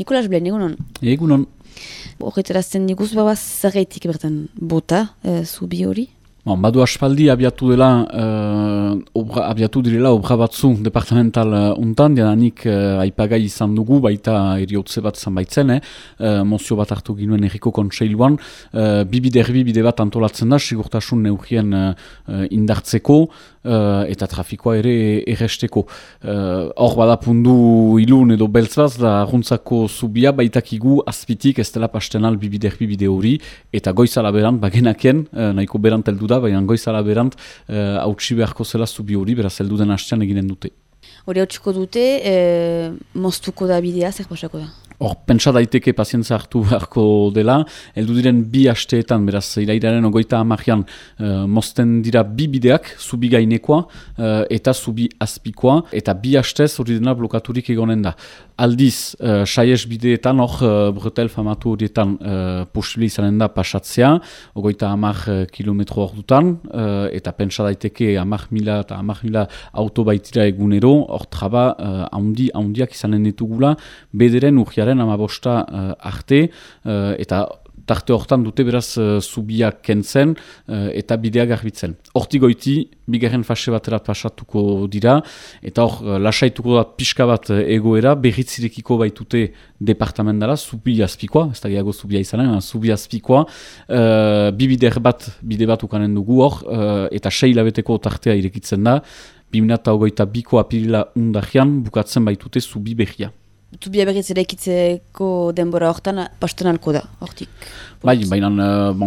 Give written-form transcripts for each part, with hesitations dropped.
Nikolas Blen, egunon? Egunon. Horretarazten diguz, zergaitik bertan bota, zubi hori? Badu aspaldi abiatu direla obra batzu departamental untan, diananik aipagai izan dugu, baita eriotze bat izan baitzen, mozio bat hartu ginuen erriko kontseiluan, bide bat antolatzen da, sigurtasun neurrien indartzeko, eta trafikoa ere erresteko. Hor badapundu ilun edo beltz bat, da arruntzako zubia baitakigu azpitik ez dela pastenal bide hori, eta goizala berant, bagenaken, nahiko berant heldu da, baina goizala berant hautsi beharko zela zubi hori, beraz heldu den hastean eginen dute. Hori hautsiko dute, moztuko da bidea, zer pasako da? Hor, pentsa daiteke pazientza hartu beharko dela, heldu diren 2 asteetan, beraz, irailaren 30 mozten dira 2 bideak, zubi gainekoa eta zubi azpikoa, eta 2 astez hori dena blokaturik egonen da. Aldiz, saies bideetan, hor, Bretel famatu horietan posible izanen da pasatzea, 30 kilometro hor dutan, eta pentsa daiteke 10.000 eta 10.000 auto baitira egunero, hor traba handiak izanen ditugula, bederen urgiaren 15 arte, eta tarte hortan dute beraz zubiak kentzen eta bidea garbitzen. Hortik goiti, bigarren fase baterat pasatuko dira, eta hor lasaituko da pixka bat egoera, berritzirekiko baitute departamentala, zubi azpikoa, ez da gehiago zubia izanen, zubi azpikoa, bide bat ukanen dugu hor, eta 6 hilabeteko tartea irekitzen da, 2022ko apirila undahian bukatzen baitute zubi behia. Zubia berriz eraikitzeko denbora hortan pastenalko da, hortik? Bai, baina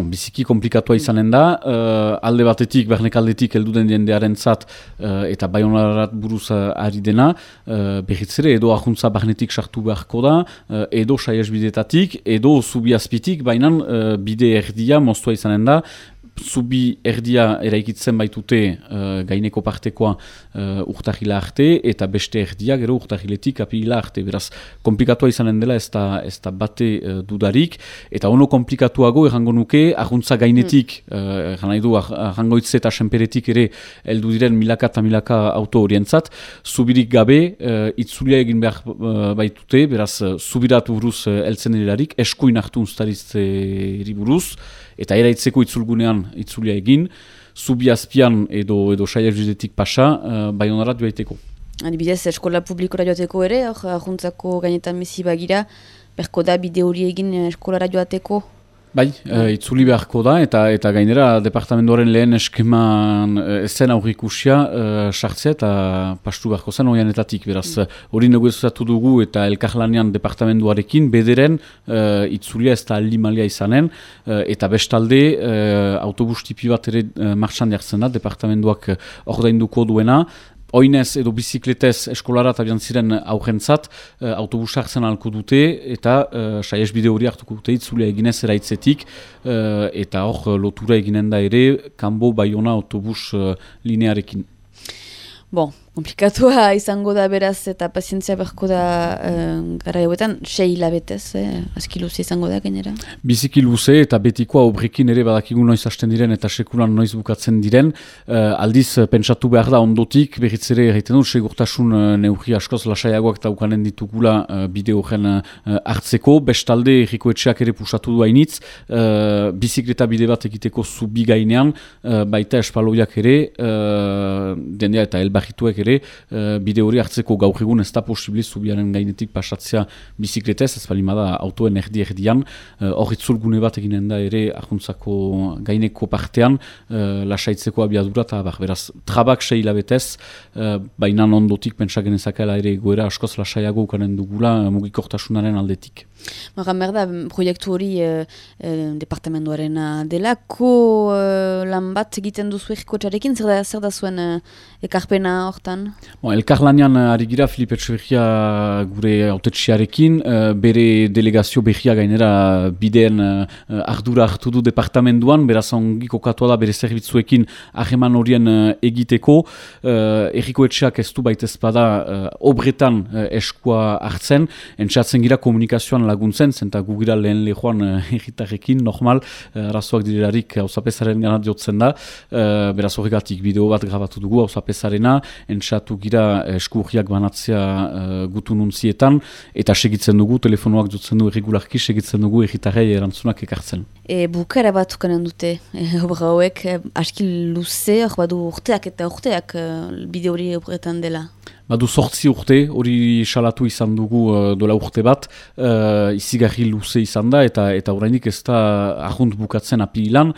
biziki komplikatua izanen da, alde batetik, bernek aldetik heldu den jendearen zat, eta baionarat buruz ari dena, berriz ere edo ahuntza barnetik sartu beharko da, edo saies bidetatik, edo zubi azpitik, baina bide erdia moztua izanen da, zubi erdia eraikitzen baitute gaineko partekoa urtahila arte, eta beste erdia gero urtahiletik apirila arte. Beraz, komplikatua izanen dela ez da bate dudarik, eta ono komplikatuago errango nuke, ahuntza gainetik, arrangoitze eta senperetik ere heldu diren milaka eta milaka auto horientzat, zubirik gabe itzulia egin behar baitute, beraz, zubirat buruz heltzen delarik, eskuin hartu unztaritzeri buruz, eta eraitzeko itzulgunean itzulia egin, zubi azpian edo saies bidetik pasa, baionarat joaiteko. Adibidez, eskola publikora joateko ere, ahuntzako gainetan mezi bagira, berko da bide hori egin eskolara joateko? Bai, itzuli beharko da, eta gainera departamentoaren lehen eskeman zen aurrikusia sartzea eta pastu beharko zen oianetatik. Beraz, hori negoziatu dugu eta elkarlanean departamentuarekin bederen itzulia ez da aldi-malia izanen, eta bestalde autobus tipi bat ere martxan jartzen da, departamentuak ordainduko duena, oinez edo bizikletez eskolarat abian ziren aurrentzat, autobus hartzen ahalko dute, eta saies bide hori hartuko dute itzulia eginez eraitzetik, eta hor lotura eginen da ere, kanbo Baiona autobus linearekin. Bon, komplikatua izango da beraz eta pazientzia beharko da gara hauetan, 6 hilabetez, aski luze izango da gainera? Biziki luze eta betikoa obrekin ere badakigu noiz hasten diren eta sekulan noiz bukatzen diren. Aldiz pentsatu behar da ondotik, berriz ere egiten dut, segurtasun neurri askoz lasaiagoak eta ukanen ditugula bide horren hartzeko. Bestalde erriko etxeak ere pusatu du hainitz, bizikleta bide bat egiteko zubi gainean, baita espaloiak ere, dendea eta elbarrituek ere, bide hori hartzeko gaur egun ez da posible zubiaren gainetik pasatzea bizikletez, ez balimada autoen erdian, hor itzulgune bat eginen da ere ahuntzako gaineko partean, lasaitzeko abiadura eta beraz, trabak 6 hilabetez, baina ondotik pentsagen ezakela ere goera askoz lasaiago ukanen dugula mugikortasunaren aldetik. Maran berda, proiektu hori departamentoaren delako lan bat egiten duzu errikotxarekin, zer da zuen ekarpena hortan? Elkarlanean ari gira Filipe Etxeberria gure autetxiarekin, bere delegazio behia gainera bideen ardura hartu du departamentuan, beraz ongi kokatua da bere zerbitzuekin hageman horien egiteko, erriko etxeak ez du baitezpada obretan eskua hartzen, entxatzen gira komunikazioan laguntzen, zenta gugira lehen lehoan erritarrekin, normal, arazoak direlarik hausapesaren gana diotzen da, beraz horregatik bideo bat grabatu dugu hausapesarena, pentsatu gira eskurriak banatzea gutu nuntzietan, eta segitzen dugu, telefonoak dutzen du erregularki, segitzen dugu erritarrei erantzunak ekartzen. Bukara bat ukanen dute, obra hauek, aski luze, badu urteak eta urteak bide hori obretan dela. Badu 8 urte, hori salatu izan dugu dola urte bat, izigarri luze izan da, eta orainik ez da ahunt bukatzen apililan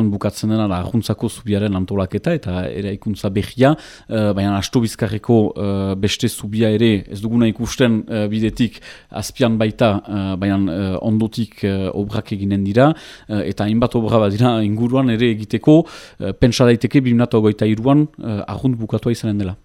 bukatzen dena ahuntzako zubiaren antolaketa, eta eraikuntza behia, baina asto bizkarreko beste zubia ere ez duguna ikusten bidetik azpian baita, baina ondotik obrak eginen dira, eta hainbat obra bat dira inguruan ere egiteko, pentsa daiteke 2023an ahunt bukatua izanen dela.